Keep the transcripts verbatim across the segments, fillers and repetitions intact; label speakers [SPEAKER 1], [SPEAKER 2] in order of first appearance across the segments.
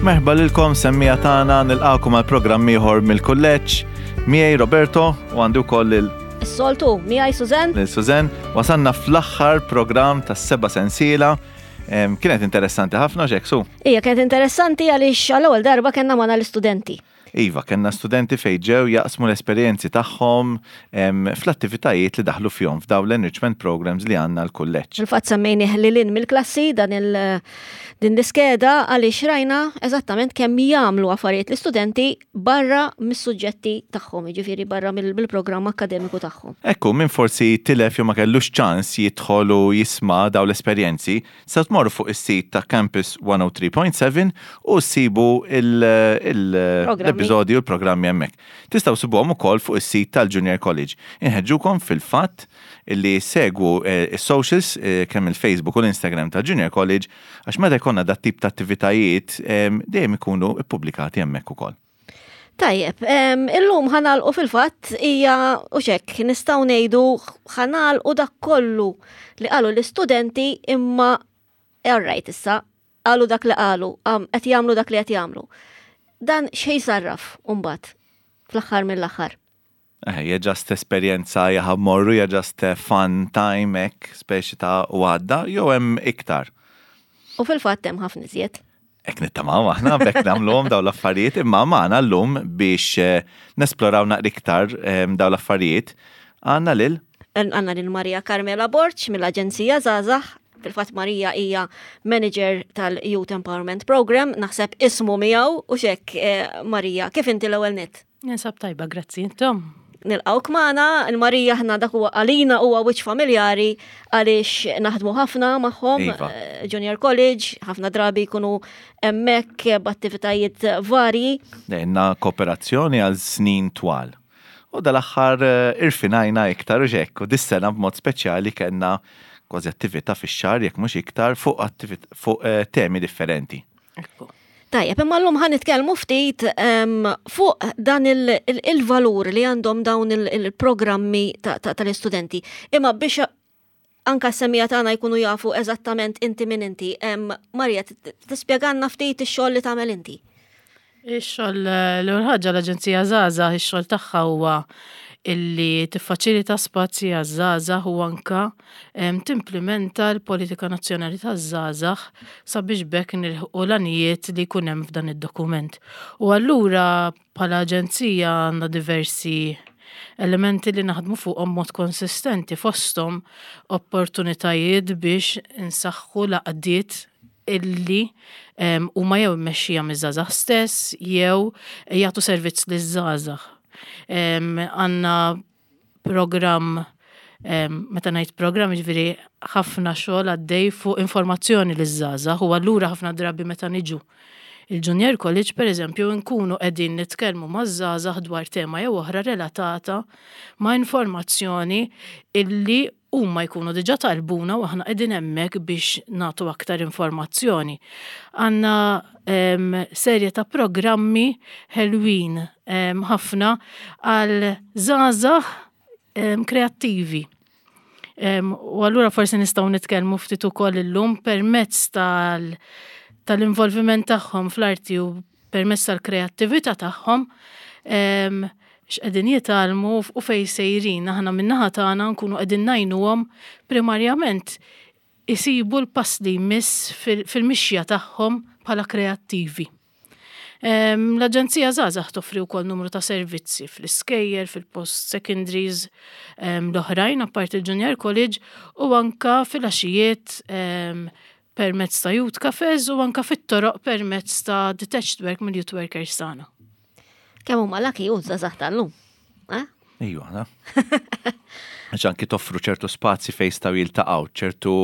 [SPEAKER 1] Merħba lilkom, semmiegħa tagħna, nilqagħkom għal programm ieħor mill-kulleġġ. Miegħi Roberto u għandi wkoll lil
[SPEAKER 2] Is-soltu, miegħi Susan.
[SPEAKER 1] Lil Susan. Wasanna fl-aħħar programm tas-seba' sensiela. Em, Kienet interessanti ħafna ġek, su.
[SPEAKER 2] Ija, kienet interessanti għaliex għall-ewwel darba kellna magħna l-istudenti.
[SPEAKER 1] Iva, kellna studenti fejn ġew jaqsmu l-esperjenzi tagħhom em, fl-attivitajiet li daħlu fihom f'dawn l-enrichment programs li għandna l-kulleġġ.
[SPEAKER 2] Fil-fatt semmejnih lil hinn mill-klassi dan il din l-iskeda għaliex rajna eżattament kemm jagħmlu affarijiet l-istudenti barra mis-suġġetti tagħhom, jiġifieri barra mill- mill-programm akkademiku tagħhom.
[SPEAKER 1] Ekku, min forsi tilef jew ma kellux ċans jidħol u jisma' daw l-esperjenzi, se tmorru fuq is-sit ta' Campus mija u tlieta punt seba' u ssibu il- il-
[SPEAKER 2] Programmi.
[SPEAKER 1] l-episodji u l-programmi hemmhekk. Tistgħu ssibuhom ukoll fuq is-sit tal-Junior College. Inħeġġukom fil-fatt li segwu eh, is-socials, eh, kemm il-Facebook u l-Instagram tal-Junior College, għax meta jkollna dat tip ta' attivitajiet em, dejjem ikunu ippubblikati hemmhekk ukoll.
[SPEAKER 2] Tajjeb, em, illum ħa nagħlqu fil-fatt hija u xek, nistgħu ngħidu ħa nagħlqu dak kollu li qalu l-istudenti, imma alright, issa qalu dak li qalu, am, qed jagħmlu dak li qed jagħmlu. Dan xejn sarraf mbagħad fl-aħħar mill-aħħar?
[SPEAKER 1] Eh, hija just esperjenza jaħab morru, hija just eh, fun time hekk, speċi ta' u għadda, jew hemm iktar?
[SPEAKER 2] U fil-fatt hemm ħafna iżjed.
[SPEAKER 1] Hekk nittamaw aħna, b'hekk nagħmluhom daw l-affarijiet, imma magħna llum biex eh, nesploraw naqra iktar eh, daw l-affarijiet, għandna lil
[SPEAKER 2] Għandna lil Maria Carmela Borg mill-Aġenzija Żgħażagħ. Fil-fatt Maria hija manager tal-Youth Empowerment Program, naħseb ismu miegħu u xek. eh, Maria, kif inti l-ewwel nett?
[SPEAKER 3] Ninsab tajba, grazzi, intom?
[SPEAKER 2] Nilqawk magħna, il-Marija ħna dak huwa għalina huwa wiċċ familjari għaliex naħdmu ħafna magħhom,
[SPEAKER 1] Iva.
[SPEAKER 2] eh, Junior College, ħafna drabi jkunu hemmhekk b'attivitajiet varji.
[SPEAKER 1] Għandna kooperazzjoni għal snin twal. U dal-aħħar eh, irfinajna iktar u ġekk, u dis-sena b'mod speċjali kellna kważi attività fix-xahar, jekk mhux iktar, fuq attivit- fuq eh, temi differenti.
[SPEAKER 3] Ekku.
[SPEAKER 2] Tajjeb, imma llum ħa nitkellmu ftit em, fuq dan il- il- il-valur li għandhom dawn il- il-programmi ta- ta- tal-istudenti. Imma biex anka s-semmiegħa tagħna jkunu jafu eżattament inti min inti, em, Marija, t- t- tispjegalna ftit ix-xogħol li tagħmel inti?
[SPEAKER 3] Ix-xogħol, l-ewwel ħaġa, l-Aġenzija Żgħażagħ, ix-xogħol tagħha huwa illi tiffaċilita spazji għaż-żgħażagħ u anka em, timplementa l-politika nazzjonali taż-żgħażagħ sabiex b'hekk nilħqu l-għanijiet li jkun hemm f'dan id-dokument. U allura bħala aġenzija għandna diversi elementi li naħdmu fuqhom mod konsistenti, fosthom opportunitajiet biex insaħħu l-għaqdiet illi em, huma jew mmexxija miż-żgħażagħ stess jew jagħtu servizz liż-żgħażagħ. Em, Għandna programm em, meta ngħid programm, jiġifieri ħafna xogħol għaddej fuq informazzjoni liż-żgħażagħ, u allura ħafna drabi meta niġu il-Junior College, per eżempju, nkunu qegħdin nitkellmu maż-żgħażagħ dwar tema jew oħra relatata ma' informazzjoni illi huma jkunu diġà talbuna u aħna qegħdin hemmhekk biex nagħtu aktar informazzjoni. Għandna em, serje ta' programmi ħelwin em, ħafna għal żgħażagħ em, kreattivi. Em, U allura forsi nistgħu nitkellmu ftit ukoll illum permezz tal tal-involviment tagħhom fl-arti u permezz tal-kreattività tagħhom em, x'qegħdin jitgħallmu u fejn sejrin. Aħna min-naħa tagħna nkunu qegħdin ngħinuhom primarjament isibu l-pass li jmiss fil- fil-mixja tagħhom bħala kreattivi. Em, L-Aġenzija Żgħażagħ toffri wkoll numru ta' servizzi fl-iskejjel, fil-post secondaries em, l-oħrajn apparti il-Junior College u anka fil-għaxijiet em, permezz ta' youth cafes u anka fit-toroq permezz ta' detached work mill-youth workers tagħna.
[SPEAKER 2] Kemm huma lucky u żgħażagħ tal-lum. Eh?
[SPEAKER 1] Ejju, għana. Għax anki toffru ċertu spazji fejn jistgħu jiltaqgħu, ċertu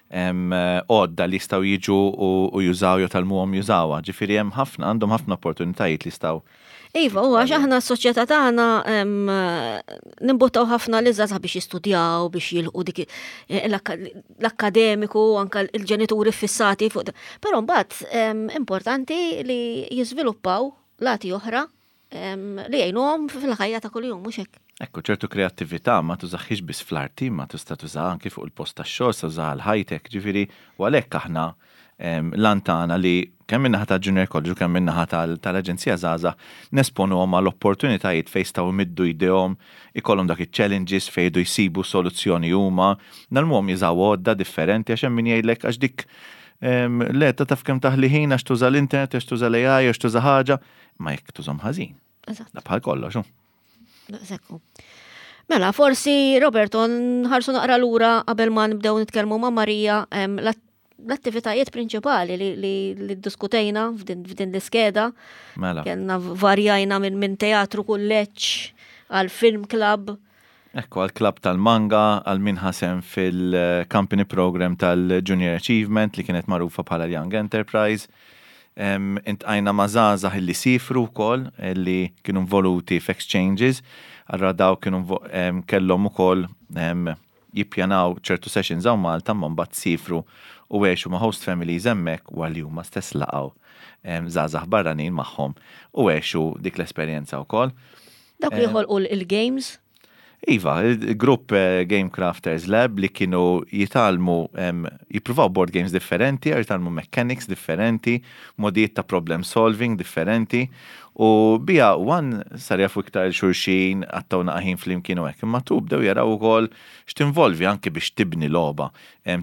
[SPEAKER 1] em, għodda li jistgħu jiġu u, u jużaw jew tgħallmuhom jużawha. Ġifieri hemm ħafna, għandhom ħafna opportunitajiet li jistgħu.
[SPEAKER 2] Iva, u għax aħna s-soċjetà tagħna em, nimbuttaw ħafna li żgħażagħ biex jistudjaw, biex jilħqu dik l-akkademiku, anka l-ġenituri fissati fuq. Però mbagħad em, importanti li jiżviluppaw lati oħra em, li jgħinuhom fil-ħajja ta' kuljum, mhux hekk?
[SPEAKER 1] Ekku, ċertu kreattività ma tużaħiex biss fl-arti, ma tista' tuża anki fuq il-post tax-xogħol, tuża l-high-tech, ġifieri, u għalhekk aħna L-għan tagħna li kemm min-naħa ta' Junior College u kemm min-naħa tal-Aġenzija Żgħażagħ nesponuhom għal opportunitajiet fejn jistgħu jmiddu jdejhom, ikollhom dak iċ-challenges fejn jdu jsibu soluzzjoni huma, ngħallmuhom jużaw għodda differenti, għax hemm min jgħidlek għax dik le ta' taf kemm taħli ħin għax tuża l-internet, għax tuża l-A I, għax tuża ħaġa, ma jekk tużhom ħażin. Da bħal kollox.
[SPEAKER 2] Daqshekk. Mela, forsi, Roberto, nħarsu naqra lura qabel ma nibdew nitkellmu ma' Marija, l-attivitajiet prinċipali li, li, li diskutejna f'din, f'din l-iskeda.
[SPEAKER 1] Mela.
[SPEAKER 2] Kellna varjajna minn min teatru kulleġġ għal film club.
[SPEAKER 1] Ekku, għal club tal-manga, għal min ħa sehem fil-company program tal-Junior Achievement li kienet magħrufa bħala Young Enterprise. Iltqajna ma' żgħażagħ li siefru wkoll, li kienu involuti f'exchanges, allura daw kienu kellhom ukoll jippjanaw ċertu sessions hawn Malta, ma mbagħad siefru u għexu ma' host families hemmhekk u għal huma stess laqgħu żgħażagħ barranin magħhom u għexu dik l-esperjenza wkoll.
[SPEAKER 2] Dawk li ħolqu il-games?
[SPEAKER 1] Iva, il-grupp eh, Game Crafters Lab li kienu jitgħallmu, jippruvaw board games differenti, jitgħallmu mechanics differenti, modijiet ta' problem solving differenti, u bija one sar jafu iktar xulxin, qattgħu naqra ħin flimkien u hekk, imma tu bdew jaraw ukoll x'tinvolvi anke biex tibni logħba,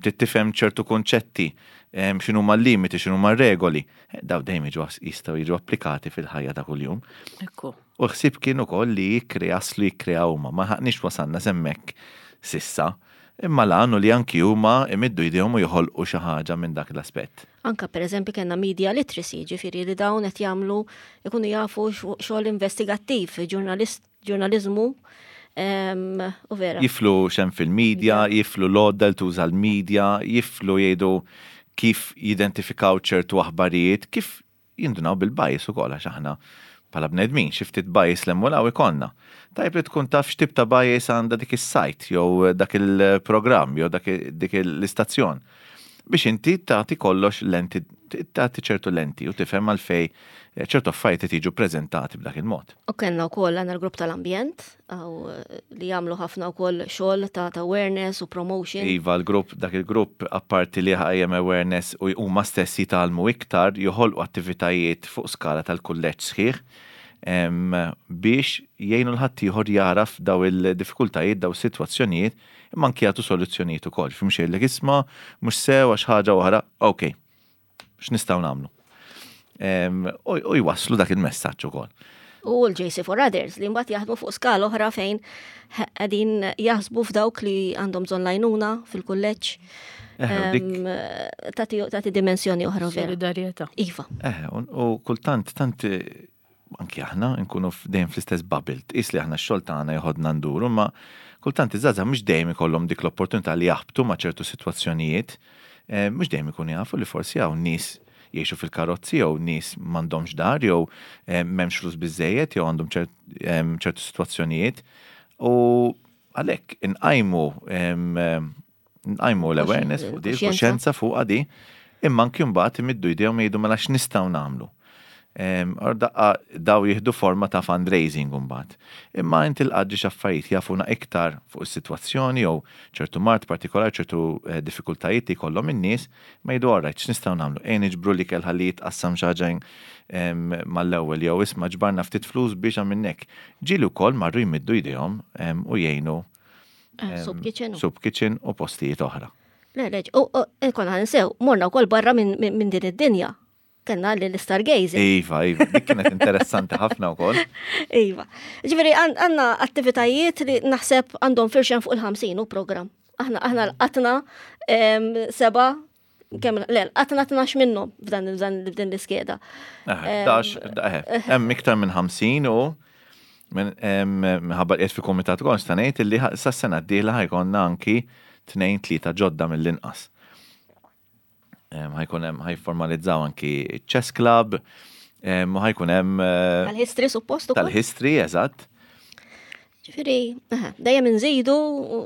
[SPEAKER 1] tifhem ċertu konċetti, x'inhuma l-limiti, x'inhuma regoli. Daw dejjem jistgħu jiġu applikati fil-ħajja ta' kuljum.
[SPEAKER 3] Ekku.
[SPEAKER 1] U ħsib kien ukoll li jikkrea li jikkrea huma, ma ħaqniex wasalna s'hemmhekk s'issa. Imma l li anki huma imiddu jdejhom u joħolqu xi ħaġa minn dak l-aspett.
[SPEAKER 2] Anka per eżempju kellna media literacy, ġifieri li dawn qed jagħmlu ikunu jafu xogħol investigattiv, ġurnalizmu u vera.
[SPEAKER 1] Jiflu x'hemm fil-media, jiflu l-għodda li tuża l-media, jiflu jgħidu kif jidentifikaw ċertu aħbarijiet, kif jindunaw bil-bias ukoll, għax aħna bħala bnedmin xi ftit bias 'l hemm u 'l hawn ikollna. Tajb li tkun taf x'tip ta' bias għandha dik is-site jew dak il-programm jew dak dik l-istazzjon. Biex inti tagħti kollox lenti, tagħti ċertu lenti u tifhem għalfej ċertu affarijiet jiġu preżentati b'dak il-mod.
[SPEAKER 2] U kellna wkoll għandna l-grupp tal-ambjent li jagħmlu ħafna wkoll xogħol ta' awareness u promotion.
[SPEAKER 1] Iva, l-grupp, dak il-grupp, apparti li ħajjem awareness u huma stess jitgħallmu iktar, joħolqu attivitajiet fuq skala tal-kulleġġ sħiħ biex jgħinu 'l ħaddieħor jaraf daw il-diffikultajiet, daw is-sitwazzjonijiet, imma anki jagħtu soluzzjonijiet ukoll. Fim xejn isma' mhux sew għax ħaġa oħra, ok, x'nistgħu nagħmlu? U jwasslu dak il-messaġġ ukoll.
[SPEAKER 2] U l-J C for Others li mbagħad jaħdmu fuq skala oħra fejn qegħdin jaħsbu f'dawk li għandhom bżonn l-għajnuna fil-kulleġġ. Tagħti dimensjoni oħra vera.
[SPEAKER 3] Solidarjetà.
[SPEAKER 2] Iva.
[SPEAKER 1] Eh, u kultant tant anki aħna nkunu dejjem fl-istess bubble, tqis li aħna x-xogħol tagħna joħodna nduru, ma kultant iż-żgħażagħ mhux dejjem ikollhom dik l-opportunità li jaħbtu ma' ċertu sitwazzjonijiet, mhux dejjem ikunu jafu li forsi hawn nies jgħixu fil-karozzi jew nies m'għandhomx dar jew m'hemmx flus biżejjed jew għandhom ċertu sitwazzjonijiet. U għalhekk inqajmu nqajmu l-awareness fuq di, kuxjenza fuq di, imma anki mbagħad imiddu jdejhom jgħidu mela x'nistgħu nagħmlu. Or daqqa daw jieħdu forma ta' fundraising mbagħad. Imma inti l-qadġi x'affarijiet jafuna iktar fuq is-sitwazzjoni jew ċertu mard partikolari, ċertu eh, diffikultajiet li jkollhom in-nies, ma jgħidu alright, x'nistgħu nagħmlu? Ejn niġbru li kell ħalli jitqassam xi ħaġa mal-ewwel jew isma' ġbarna ftit flus biex għamilnek. Ġieli wkoll marru jmiddu jdejhom u jgħinu
[SPEAKER 2] eh, Soup kitchen.
[SPEAKER 1] Soup kitchen u postijiet oħra.
[SPEAKER 2] Le, le, u konna nsew, morna wkoll barra minn din id-dinja, kellna li l-stargazing.
[SPEAKER 1] Iva, iva, dik kienet interessanti ħafna wkoll.
[SPEAKER 2] Iva. Ġifieri għandna attivitajiet li naħseb għandhom firxen fuq il-ħamsin u program. Aħna aħna l-qatna seba, kemm le, qatna tnax minnhom f'dan f'dan l-iskeda.
[SPEAKER 1] Eh, eh, hemm iktar minn ħamsin u minħabba qiegħed fi komitat ukoll nista' ngħid li sas-sena d-dieħla ħa jkollna anki tnejn, tlieta ġodda mill-inqas. Ħa jkun hemm, ħa jformalizzaw anki chess club, u ħa jkun hemm
[SPEAKER 2] eh, Tal-history suppost
[SPEAKER 1] ukoll. Tal-history, eżatt.
[SPEAKER 2] Ġifieri, dejjem nżidu u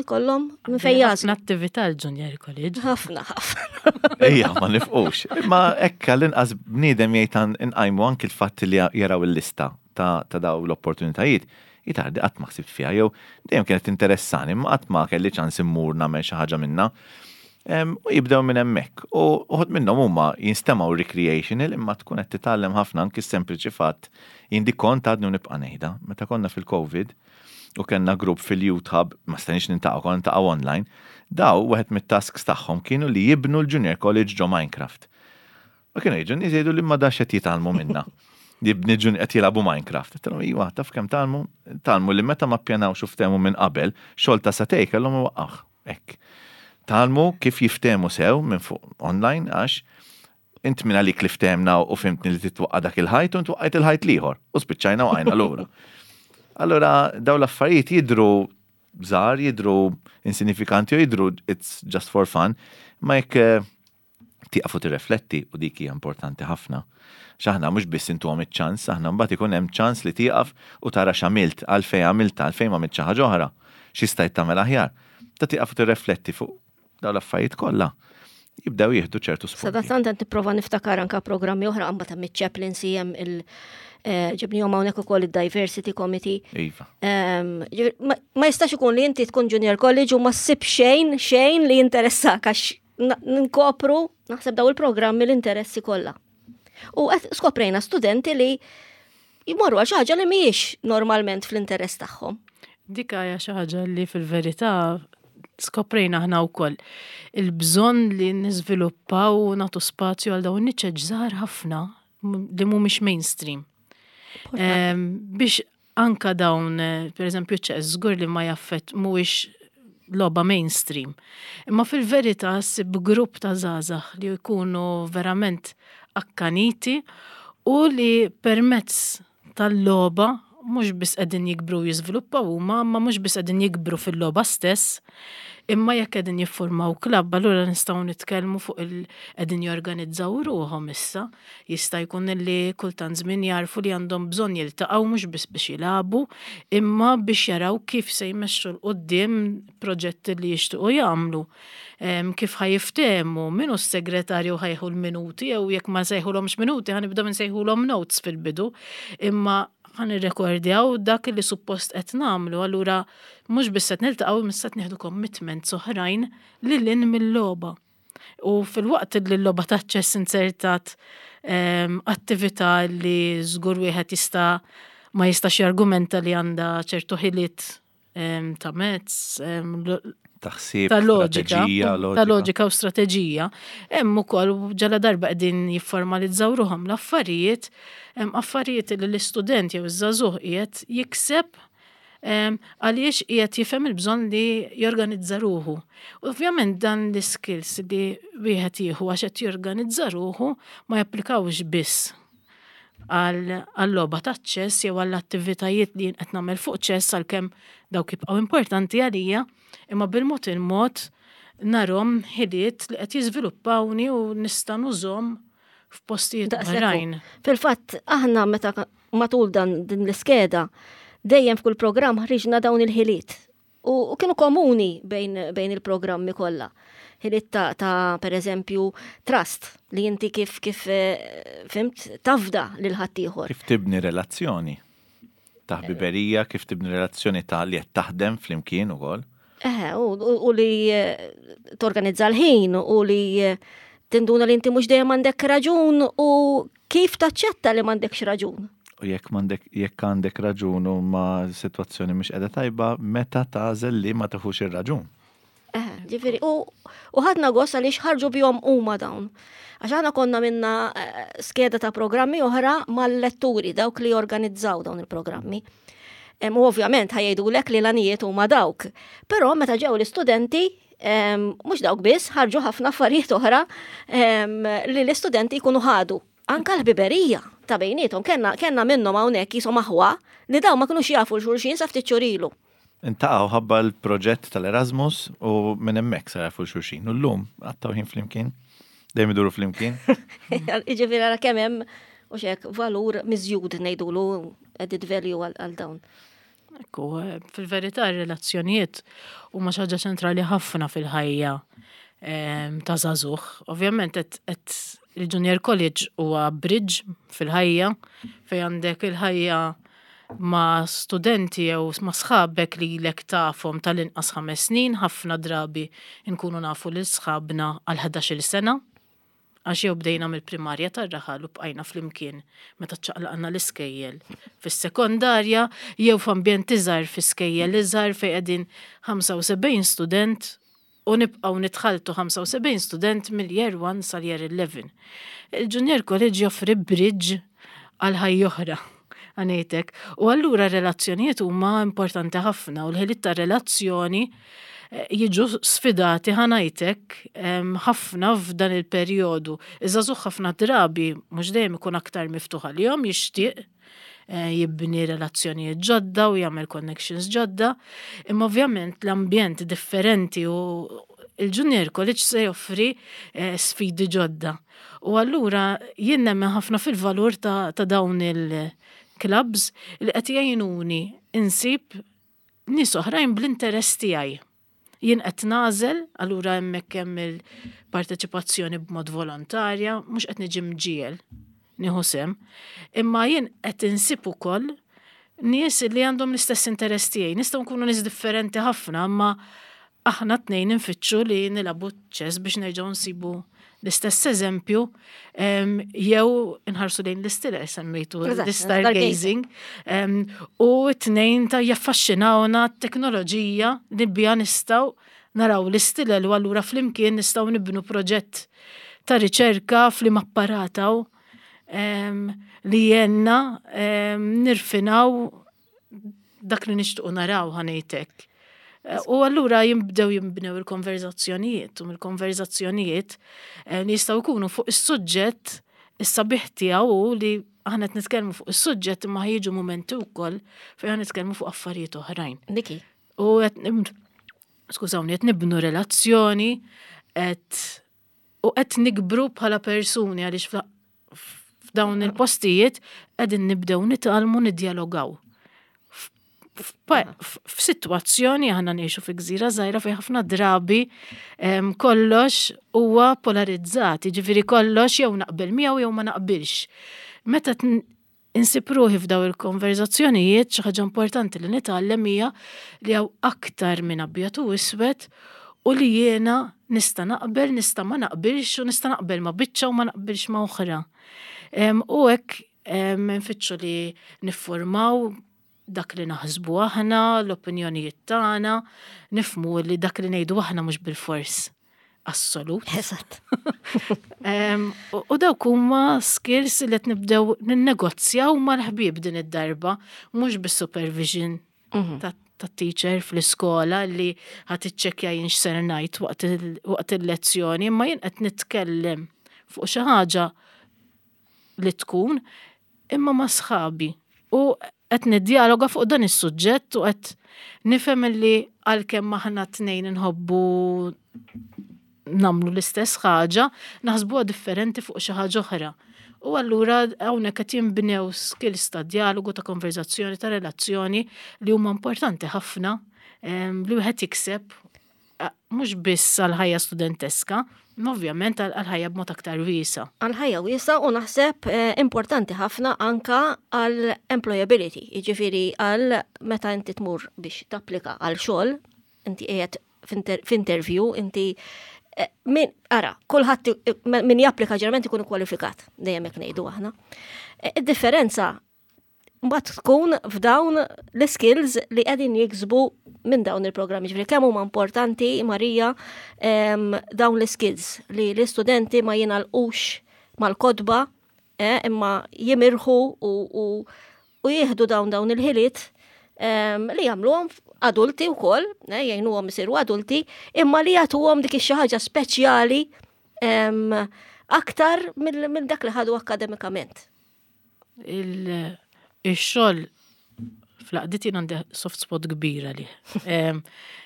[SPEAKER 2] jkollhom minn fejn jagħżlu.
[SPEAKER 3] Ħafna attività l-Junior College.
[SPEAKER 2] Ħafna, ħafna.
[SPEAKER 1] Ejja, ma nifqux. Imma hekk l-inqas bniedem jgħid inqajmu anki l-fatt li jaraw il-lista ta' ta' daw l-opportunitajiet. Jitardi qatt ma ħsibt fiha jew dejjem kienet interessani, imma qatt ma kelli ċans immur nagħmel xi ħaġa minnha. U jibdew minn hemmhekk. U uħud minnhom huma jinstemgħu recreational, imma tkun qed titgħallem ħafna, anki sempliċi fatt jindi kont għadni nibqa' ngħidha. Meta konna fil-Covid u kellna grupp fil-Youth Hub, ma stajniex niltaqgħu, konna niltaqgħu online, daw wieħed mit-tasks tagħhom kienu li jibnu l-Junior College ġo Minecraft. U kienu jiġu nies jgħidu li ma dax qed jitgħallmu minna. Jibni ġun qed jilagħbu Minecraft. Għedtilhom, iwa, taf kemm tgħallmu? Tgħallmu li meta ma ppjanawx u ftehmu minn qabel, xogħol ta' sagħtejn kellhom iwaqqgħuh. Hekk. Tgħallmu kif jiftehmu sew minn fuq online, għax int minn għalik li ftehmna u fhimtni li titwaqqa dak il-ħajt u ntwaqqajt il-ħajt l-ieħor u spiċċajna u għajna lura. Allora daw l-affarijiet jidru żgħar, jidru insignifikanti u jidru it's just for fun, ma jekk eh, tieqaf u tirrefletti, u dik hija importanti ħafna. X'aħna mhux biss intuhom iċ-ċans, aħna mbagħad ikun hemm ċans li tieqaf u tara x'għamilt, għalfejn għamilta, għalfejn ma xi ħaġa oħra, xi stajt tagħmel aħjar. Ta' tieqaf u tirrefletti fuq dawn l-affarijiet kollha. Jibdew jieħdu ċertu spunti.
[SPEAKER 2] Sadattant qed nipprova niftakar anka programmi oħra, għamba ta' mit-chaplaincy hemm il- eh, ġibnihom hawnhekk ukoll id-Diversity Committee.
[SPEAKER 1] Iva.
[SPEAKER 2] Ehm, ġifieri, Ma ma jistax ikun li inti tkun junior college u ma ssib xejn xejn li jinteressak, għax na- nkopru naħseb daw il-programmi l-interessi kollha. U qed skoprejna studenti li jmorru għal xi ħaġa li mhijiex normalment fl-interess tagħhom.
[SPEAKER 3] Dik hija xi ħaġa li fil-verità skoprejna aħna wkoll. Il-bżonn li niżviluppaw u nagħtu spazju għal dawn niċeċ żgħar ħafna li mhumiex mainstream. Em, biex anka dawn, eh, per eżempju, ċess, żgur li ma jaffett mhuwiex logħba mainstream. Imma fil-verità ssib grupp ta' żgħażagħ li jkunu verament akkaniti u li permezz tal-logħba mhux biss qegħdin jikbru u jiżviluppaw huma, ma mhux biss qegħdin jikbru fil-logħba stess, imma jekk qegħdin jiffurmaw klabb, allura nistgħu nitkellmu fuq il qegħdin jorganizzaw ruħhom issa. Jista' jkun li kultant żmien jarfu li għandhom bżonn jiltaqgħu mhux biss biex jilagħbu, imma biex jaraw kif se jmexxu 'l quddiem proġetti li jixtiequ jagħmlu. Em, Kif ħa jiftehmu, min hu s-segretarju ħa jieħu l-minuti, jew jekk ma nsejħulhomx minuti, ħa nibdew nsejħulhom notes fil-bidu, imma ħa nirrekordjaw dak li suppost qed nagħmlu, allura mhux biss qed niltaqgħu, imma qed nieħdu commitments oħrajn lil hinn mill-logħba. U fil-waqt li l-logħba ta' ċess insertat em, attività li żgur wieħed jista' ma jistax jargumenta li għandha ċertu ħiliet em, ta' mezz, em, lo-
[SPEAKER 1] Taħsib,
[SPEAKER 3] ta' loġika,
[SPEAKER 1] strateġija,
[SPEAKER 3] ta' loġika u strateġija. Hemm ukoll ġala darba qegħdin jifformalizzaw ruħhom l-affarijiet, hemm affarijiet li l-istudent jew iż-żagħżugħ qiegħed jikseb em, għaliex qiegħed jifhem il-bżonn li jorganizza ruħu. U ovvjament dan l-skills li wieħed jieħu għax qed jorganizza ruħu ma japplikawx biss għal-logħba ta' ċess jew għall-attivitajiet li jien qed nagħmel fuq ċess, għalkemm dawk jibqgħu importanti għalija, imma bil-mod il-mod narahom ħiliet li qed jiżviluppawni u nista' nużhom f'postijiet
[SPEAKER 2] Daqshekk hu.
[SPEAKER 3] oħrajn.
[SPEAKER 2] Fil-fatt, aħna meta matul dan din l-iskeda, dejjem f'kull programm ħriġna dawn il-ħiliet. U, u kienu komuni bejn, bejn il-programmi kollha. Ħiliet ta', ta' per eżempju, trust, li inti kif kif eh, fhimt tafda lil ħaddieħor.
[SPEAKER 1] Kif tibni relazzjoni ta' ħbiberija, kif tibni relazzjoni ta' li qed taħdem flimkien ukoll.
[SPEAKER 2] Eh, u, u, u li eh, torganizza l-ħin u li eh, tinduna li inti mhux dejjem għandek raġun u kif taċċetta li m'għandekx raġun.
[SPEAKER 1] U jekk m'għandek jekk għandek raġun u ma situazzjoni mhux qiegħda tajba, meta tagħżel li ma tieħux ir-raġun.
[SPEAKER 2] Eh, ġifieri, u, u ħadna gost għaliex ħarġu bihom huma dawn. Għax aħna konna minna eh, skeda ta' programmi oħra mal-letturi, dawk li jorganizzaw dawn il-programmi. Em, U ovvjament ħa jgħidulek li l-għanijiet huma dawk. Però meta ġew l-istudenti, em, mhux dawk biss, ħarġu ħafna affarijiet oħra em, li l-istudenti jkunu ħadu. Anka l-ħbiberija ta' bejniethom, kellna, kellna minnhom hawnhekk jisom aħwa li daw ma kinux jafu 'l xulxin sa ftit xhur ilu.
[SPEAKER 1] Iltaqgħu ħabba l-proġett tal-Erasmus u minn hemmhekk sar jafu xulxin. U llum qattgħu ħin flimkien, dejjem iduru flimkien.
[SPEAKER 2] Ġifieri ara kemm hemm u xek valur miżjud ngħidulu, added value għal għal dawn.
[SPEAKER 3] Ekku, eh, fil-verità ir-relazzjonijiet huma xi ħaġa ċentrali ħafna fil-ħajja em, ta' żagħżugħ. Ovvjament qed qed il-Junior College huwa bridge fil-ħajja fejn għandek il-ħajja Ma' studenti jew ma' sħabek li lek tafhom tal-inqas ħames snin, ħafna drabi nkunu nafu lil sħabna għal ħdax-il sena, għax jew bdejna mill-primarja tar-raħal u bqajna flimkien meta ċaqlaqna l-iskejjel fis-sekondarja, jew f'ambjent iżgħar, fi skejjel iżgħar fejn qegħdin ħamsa u sebgħin student u nibqgħu nitħaltu ħamsa u sebgħin student mill-year one sal-year eleven. Il-Junior College joffri bridge għal ħajja oħra, ħa ngħidlek. U allura relazzjonijiet huma importanti ħafna u l-ħiliet ta' relazzjoni eh, jiġu sfidati, ħa ngħidlek, ħafna f'dan il-perjodu. Iż-żagħżugħ ħafna drabi mhux dejjem ikun aktar miftuħ għalihom, jixtieq eh, jibni relazzjonijiet ġodda u jagħmel connections ġodda, imma ovvjament l-ambjent differenti u il-Junior College se joffri eh, sfidi ġodda. U allura jien nemmen ħafna fil-valur ta', ta dawn il-clubs li qed jgħinuni insib nies oħrajn bl-interess tiegħi. Jien qed nagħżel, allura hemmhekk hemm il-parteċipazzjoni b'mod volontarja, mhux qed niġi mġiegħel nieħu sehem, imma jien qed insib ukoll nies li għandhom l-istess interess tiegħi. Nistgħu nkunu nies differenti ħafna, imma aħna tnejn nfittxu li nilagħbu ċess biex nerġgħu nsibu l-istess eżempju, jew nħarsu lejn l-istilla, semmejtu l-stargazing, u t-tnejn ta' jaffaxxinawna t-teknoloġija li bija nistgħu naraw l-istilla u allura flimkien nistgħu nibnu proġett ta' riċerka fl-apparataw li jenna nirfinaw dak li nixtuqu naraw, ħa ngħidlek. U allura jimbdew jimbnew il-konverzazzjonijiet, u mill-konverzazzjonijiet eh, li jistgħu jkunu fuq is-suġġett, is-sabiħ tiegħu li aħna qed nitkellmu fuq is-suġġett imma jiġu mumenti wkoll fejn aħna nitkellmu fuq affarijiet oħrajn.
[SPEAKER 2] Niki.
[SPEAKER 3] U qed, skużawni, qed nibnu relazzjoni qed u qed nikbru bħala persuni għaliex f'dawn il-postijiet qegħdin nibdew nitgħallmu niddialogaw. F'sitwazzjoni aħna ngħixu fi gżira żgħira fejn ħafna drabi kollox huwa polarizzat, jiġifieri kollox jew naqbel miegħu jew ma naqbilx. Meta insib ruħi f'daw il-konverzazzjonijiet, xi ħaġa importanti li nitgħallem hija li hawn aktar minn abjad u iswed u li jiena nista' naqbel, nista' ma naqbilx u nista' naqbel ma' biċċa u ma naqbilx ma' oħra. U hekk nfittxu li niffurmaw dak li naħsbu aħna, l-opinjonijiet tagħna, nifhmu li dak li ngħidu aħna mhux bil-fors assolut.
[SPEAKER 2] Eżatt.
[SPEAKER 3] U dawk huma skills li qed nibdew ninnegozjaw mal-ħbieb din id-darba, mhux bis-supervision mhm. ta' teacher fl-iskola li ħa tiċċekkja jien x'ser ngħid waqt il-lezzjoni, imma jien qed nitkellem fuq xi ħaġa li tkun imma ma' sħabi. U qed niddialoga fuq dan is-suġġett u qed nifhem li għalkemm aħna tnejn inħobbu nagħmlu l-istess ħaġa, naħsbuha differenti fuq xi ħaġa oħra. U allura hawnhekk qed jinbnew skills ta' dialogu, ta' konverzazzjoni, ta' relazzjoni li huma importanti ħafna li wieħed jikseb mhux biss għal ħajja studenteska, ovvjament għal-ħajja b'mod aktar wiesa.
[SPEAKER 2] Għal-ħajja wiesa u naħseb eh, importanti ħafna anka għal-employability, jiġifieri għal meta inti tmur biex tapplika għal xogħol, inti qiegħed f'interview, inti eh, min, ara, kulħadd eh, min japplika ġeneralment ikun kwalifikat, dejjem hekk ngħidu aħna. Id-differenza mbagħad tkun f'dawn l-skills li qegħdin jiksbu minn dawn il-programmi. Ġifieri kemm huma importanti, Marija, dawn l-skills li l-istudenti ma jingħalqux mal-kotba, eh, imma jimirħu u, u, u jieħdu dawn dawn il-ħiliet li jagħmluhom adulti wkoll, eh, jgħinuhom isiru adulti, imma li jagħtuhom dik ix ħaġa speċjali aktar minn dak li ħadu akademikament.
[SPEAKER 3] Il-xogħol fl-għaqdiet jien għandi soft spot kbira li.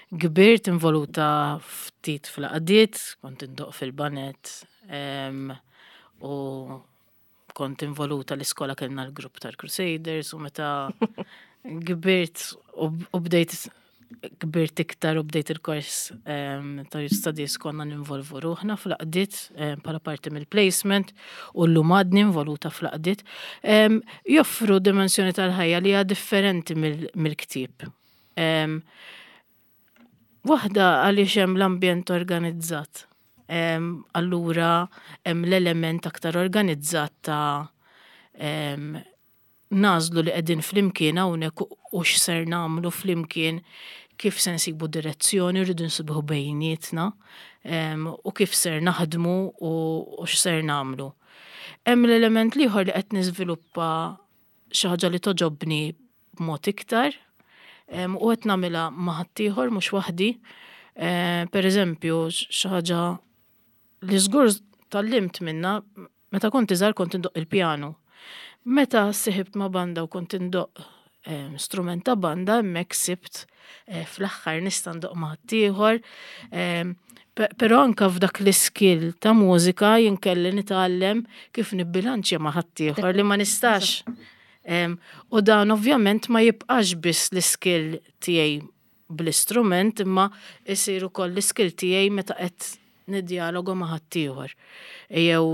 [SPEAKER 3] Kbirt involuta ftit fl-għaqdiet, kont indoqq fil-baned u kont involuta l-iskola, kellna l-grupp tal-Crusaders, u meta kbirt u bdejt kbirt iktar u bdejt il-kors ta' Youth konna ninvolvu ruħna fl-għaqdiet bħala parti mill-placement u llum għadni involuta fl-għaqdiet. Joffru dimensjoni tal-ħajja li hija differenti mill-ktieb. Waħda għaliex hemm l-ambjent organizzat. Allura hemm l-element aktar organizzat ta' nagħżlu li qegħdin flimkien hawnhekk u x'ser nagħmlu flimkien, kif se nsibu direzzjoni, rridu nsibuh bejnietna u kif ser naħdmu u x'ser nagħmlu. Hemm l-element l-ieħor li qed niżviluppa xi ħaġa li togħġobni b'mod iktar u qed nagħmilha ma' ħaddieħor, mhux waħdi. Per eżempju, xi ħaġa li żgur tgħallimt minnha, meta kont iżgħar kont indoqq il-pjanu. Meta ssiħibt ma' banda u kont indoqq strument ta' banda, hemmhekk sibt fl-aħħar nista' ndoqq ma' ħaddieħor. Però anka f'dak l-iskill ta' mużika jien kelli nitgħallem kif nibbilanċja ma' ħaddieħor li ma nistax. U dan ovvjament ma jibqax biss l-iskill tiegħi bl-istrument, imma isir ukoll l-iskill tiegħi meta qed niddialoga ma' ħaddieħor. Jew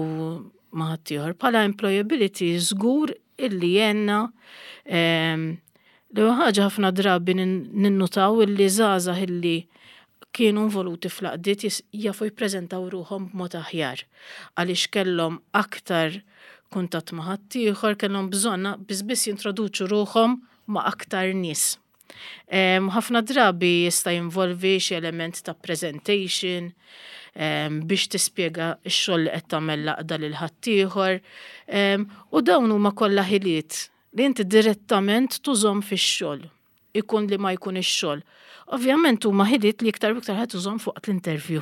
[SPEAKER 3] ma' ħaddieħor. Bħala employability żgur illi jenna l ħaġa ħafna drabi ninnutaw illi żgħażagħ illi kienu involuti fl-għaqdiet jafu jippreżentaw ruħhom b'mod aħjar għaliex kellhom aktar kuntatt ma' ħaddieħor, kellhom bżonn biss biss jintroduċu ruħhom ma' aktar nies. Ħafna drabi jista' jinvolvi xi element ta' presentation biex tispjega x-xogħol li qed tagħmel l-għaqda lil ħaddieħor. U dawn huma kollha ħiliet li inti direttament tużhom fix-xogħol, ikun li ma jkun ix-xogħol. Ovvjament huma ħiliet li iktar u iktar ħadd tużhom fuq l-interview.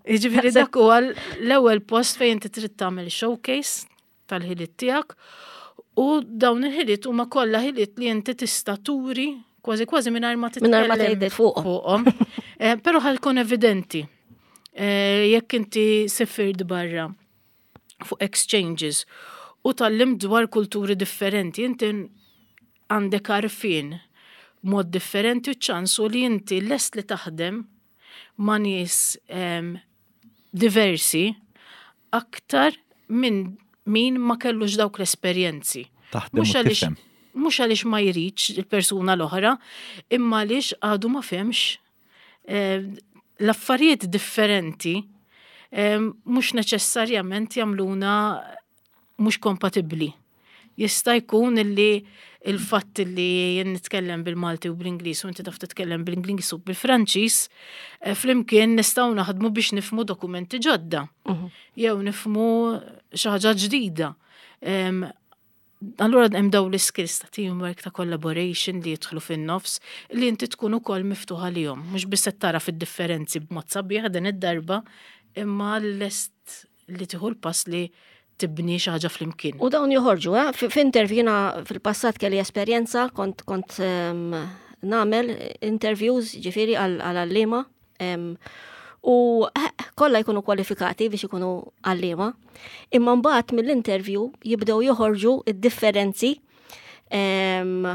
[SPEAKER 3] Jiġifieri dak huwa l-ewwel post fejn inti trid tagħmel showcase tal-ħiliet tiegħek u dawn il-ħiliet huma kollha ħiliet li inti tista' turi kważi kważi mingħajr ma
[SPEAKER 2] Mingħajr ma
[SPEAKER 3] titkellem
[SPEAKER 2] tgħid fuqhom.
[SPEAKER 3] fuqhom. Eh, Però ħa jkun evidenti. Eh, Jekk inti sifirt barra fuq exchanges u tgħallimt dwar kulturi differenti, inti għandek għarfien mod differenti u ċansu li inti lest li taħdem ma' nies em, diversi aktar minn min ma kellux dawk l-esperjenzi.
[SPEAKER 1] Taħdem u
[SPEAKER 3] Mhux għaliex
[SPEAKER 1] tifhem.
[SPEAKER 3] mhux għaliex ma jridx il-persuna l-oħra, imma għaliex għadu ma fehemx eh, l-affarijiet differenti eh, mhux neċessarjament jagħmluna mhux kompatibbli. Jista' jkun illi il-fatt li jien nitkellem bil-Malti u bl-Ingliż u inti taf titkellem bil-Ingliż u bil-Franċiż, eh, flimkien nistgħu naħdmu biex nifhmu dokumenti ġodda. Jew nifhmu xi ħaġa ġdida. Em, Allura hemm dawn l-skills ta' teamwork, ta' collaboration li jidħlu fin-nofs li inti tkun ukoll miftuħa lihom. Mhux biss qed tara fid-differenzi b'mod sabiħ din id-darba, imma lest li tieħu l-pass li tibni xi ħaġa flimkien.
[SPEAKER 2] U dawn joħorġu, eh? F- F'interview jiena fil-passat kelli esperjenza, kont kont um, nagħmel interviews ġifieri għal għalliema. Um, u eh, kollha jkunu kwalifikati biex ikunu għalliema. Imma mbagħad mill-interview jibdew joħorġu id-differenzi em,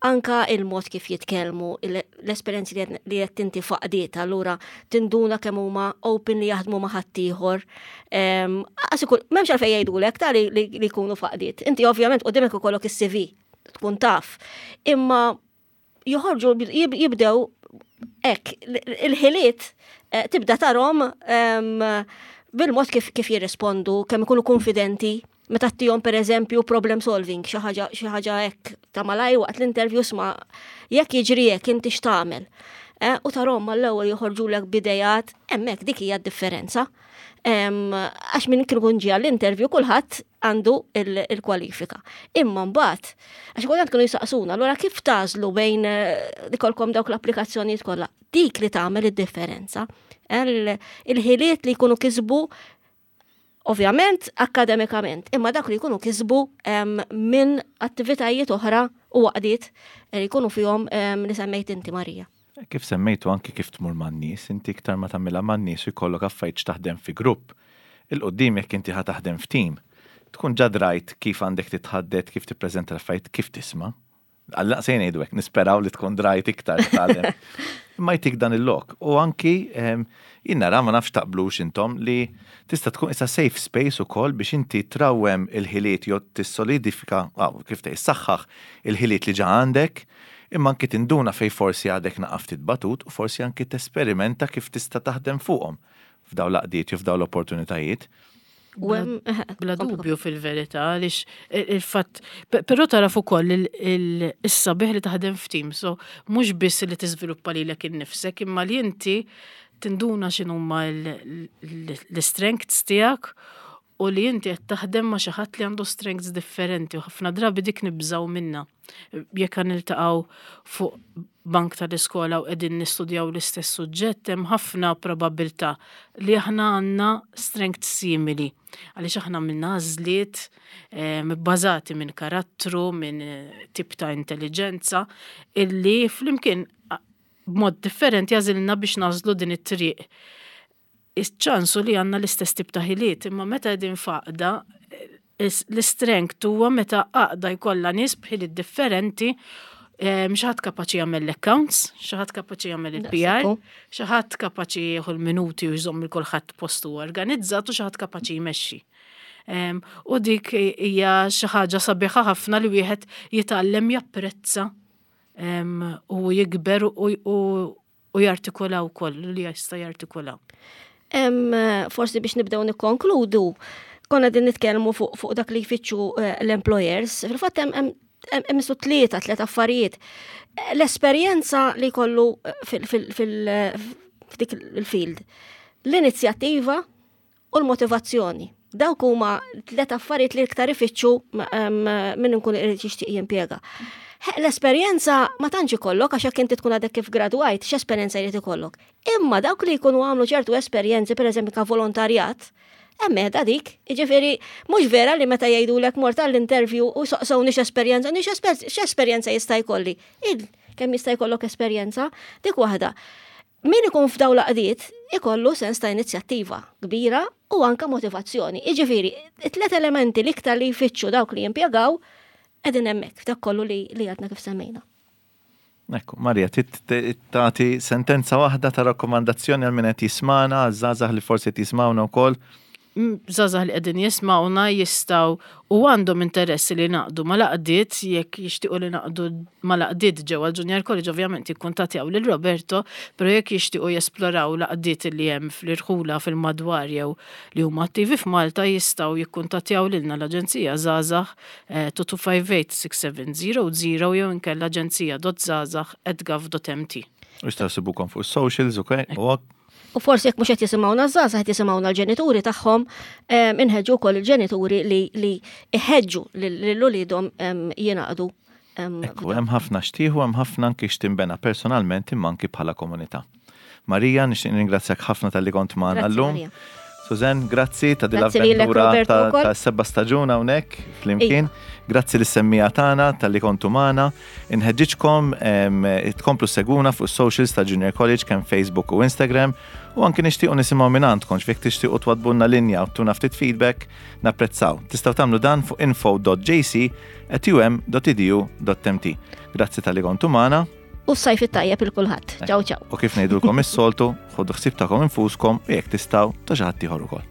[SPEAKER 2] anka il-mod kif jitkellmu, il- l-esperjenzi li qed- li qed inti f'għaqdiet, allura tinduna kemm huma open li jaħdmu ma' ħaddieħor. Em, Għax ikun m'hemmx għalfejn jgħidulek ta' li li li jkunu f'għaqdiet. Inti ovvjament qudiemek ikollok is-C V tkun taf. Imma joħorġu jib- jibdew hekk, il-ħiliet eh, tibda tarahom em, bil-mod kif, kif jirrispondu, kemm ikunu konfidenti, meta ttihom per eżempju problem solving, xi ħaġa xi ħaġa hekk ta' malaj waqt l-interview, sma jekk jiġri hekk inti x'tagħmel. Eh, u tarahom mal-ewwel joħorġulek b'idejat, hemmhekk dik hija d-differenza. Em, Għax minn kien ikun ġie għall-interview kulħadd għandu il- il-kwalifika. Imma mbagħad, għax kultant kienu jisaqsuna, allura kif tagħżlu bejn eh, ikolkom dawk l-applikazzjonijiet kollha? Dik li tagħmel id-differenza. Il- Il-ħiliet li jkunu kisbu ovvjament akademikament, imma dak li jkunu kisbu em, minn attivitajiet oħra u għaqdiet li jkunu fihom em, li semmejt inti, Marija.
[SPEAKER 1] Kif semmejtu anki kif tmur man-nies, inti iktar ma tagħmilha man-nies u jkollok affarijiet taħdem fi grupp. 'Il quddiem jekk inti ħa taħdem f'team, tkun ġa drajt kif għandek titħaddet, kif tippreżenta l-affarijiet, kif tisma'. Għalla sejn ngħidu hekk, nisperaw li tkun drajt iktar titgħallem. Imma jtik dan il-lok. U anki em, jien nara, ma nafx taqblux intom, li tista' tkun issa safe space ukoll biex inti trawwem il-ħiliet jew tissolidifika, aw, kif tgħid, saħħaħ il-ħiliet li ġa għandek, imma anki tinduna fej forsi għadek naqra ftit batut u forsi anki tesperimenta kif tista' taħdem fuqhom f'daw l-għaqdiet jew f'daw l-opportunitajiet.
[SPEAKER 2] U hemm
[SPEAKER 3] Bla dubju fil-verità, għaliex il-fatt, però taraf ukoll is-sabiħ li taħdem f'team, so mhux biss li tiżviluppa lilek innifsek, imma li inti tinduna x'inhuma l-strengths tiegħek u li inti qed taħdem ma' xi ħadd li għandu strengths differenti u ħafna drabi dik nibżgħu minna. Jekk niltaqgħu fuq bank tal-iskola u qegħdin nistudjaw l-istess suġġett, hemm ħafna probabilità li aħna għandna strengths simili. Għaliex aħna minna għażliet bbażati minn karattru, minn tip ta' intelligenza, illi flimkien b'mod differenti għażilna biex nagħżlu din it-triq. Iċ-ċansu li għandna l-istess tip ta' ħiliet, imma meta qegħdin f'għaqda, l-strength huwa meta għaqda jkollha nies b'ħiliet differenti, xi ħadd kapaċi jagħmel l-accounts, xi ħadd kapaċi jagħmel il-P R, xi ħadd kapaċi jieħu l-minuti u jżomm il kulħadd postu organizzat u xi ħadd kapaċi jmexxi. U dik hija xi ħaġa sabiħa ħafna li wieħed jitgħallem japprezza u jikber u jartikolaw wkoll li jista' jartikolaw.
[SPEAKER 2] Forsi biex nibdew nikkonkludu, konna din nitkellmu fuq fu dak li jfittxu eh, l-employers. Fil-fatt hemm hemm tlieta tliet affarijiet. L-esperjenza li jkollu eh, fil-dik il-field, l-inizjattiva u l-motivazzjoni. Dawk huma tliet affarijiet li iktar ifittxu minn nkun irid jixtieq jimpjega. L-esperjenza ma tantx ikollok, għax jekk inti tkun għadek kif gradwajt, x'esperjenza jrid ikollok. Imma dawk li jkunu għamlu ċertu esperjenzi, pereżempju ka volontarjat, hemmhekk dik, jiġifieri mhux vera li meta jgħidulek mort għall-interview u saqsewni x'esperjenza, nix x'esperjenza jista' jkolli. Il kemm jista' jkollok esperjenza, dik waħda. Min ikun f'daw l-għaqdiet ikollu sens ta' inizjattiva kbira u anka motivazzjoni. Jiġifieri, it-tlet elementi l-iktar li jfittxu dawk li jimpjegaw qegħdin hemmhekk f'dak kollu li li għadna kif semmejna.
[SPEAKER 1] Ekku, Marja, tagħti sentenza waħda ta' rakkomandazzjoni għal min qed jismana, għaż-żgħażagħ li forsi jismawna wkoll.
[SPEAKER 3] Żgħażagħ li qegħdin jismawna jistgħu u għandhom interess li jingħaqdu mal-għaqdiet, jekk jixtiequ li jingħaqdu mal-għaqdiet ġewwa l-Junior College, ovvjament jikkuntattjaw lil Roberto, però jekk jixtiequ jesploraw l-għaqdiet li hemm fl-irħula fil-madwar jew li huma attivi f'Malta, jistgħu jikkuntattjaw lilna l-Aġenzija Żgħażagħ two two five eight six seven zero zero jew inkella aġenzija dot żgħażagħ at gov dot M T.
[SPEAKER 1] U jistgħu jsibukom fuq socials, ok? U
[SPEAKER 2] U forsi jekk mhux qed jisimgħuna żgħażagħ, qed jisimgħuna l-ġenituri tagħhom, inħeġġu wkoll il-ġenituri li li iħeġġu lil uliedhom jingħaqdu.
[SPEAKER 1] Ekku, hemm ħafna xtieħu, hemm ħafna anki x'tinbena personalment imma anki bħala komunità. Marija, nixtieq ringrazzjak ħafna talli kont magħna
[SPEAKER 2] Grazzi,
[SPEAKER 1] llum.
[SPEAKER 2] Maria.
[SPEAKER 1] Susan, grazzi ta' din
[SPEAKER 2] Grazzi lilek,
[SPEAKER 1] l-avventura
[SPEAKER 2] Roberto,
[SPEAKER 1] ta'
[SPEAKER 2] ukoll.
[SPEAKER 1] ta' seba' staġun hawnhekk flimkien. Grazzi lis-semmiegħa tagħna talli kontu magħna. Inħeġġiġkom em, tkomplu seguna fuq socials ta' Junior College, kemm Facebook u Instagram, u anki nixtiequ nisimgħu minn għandkom x'fik tixtiequ twaddbulna linja u tuna ftit feedback, napprezzaw. Tistgħu tagħmlu dan fuq info dot J C at U M dot edu dot M T. Grazzi talli kontu magħna.
[SPEAKER 2] U s-sajf it-tajjeb il kulħadd. Ciao ciao.
[SPEAKER 1] U kif ngħidulkom is-soltu, ħodu ħsieb tagħkom infuskom u jekk tistgħu ta' xi ħadd ieħor ukoll.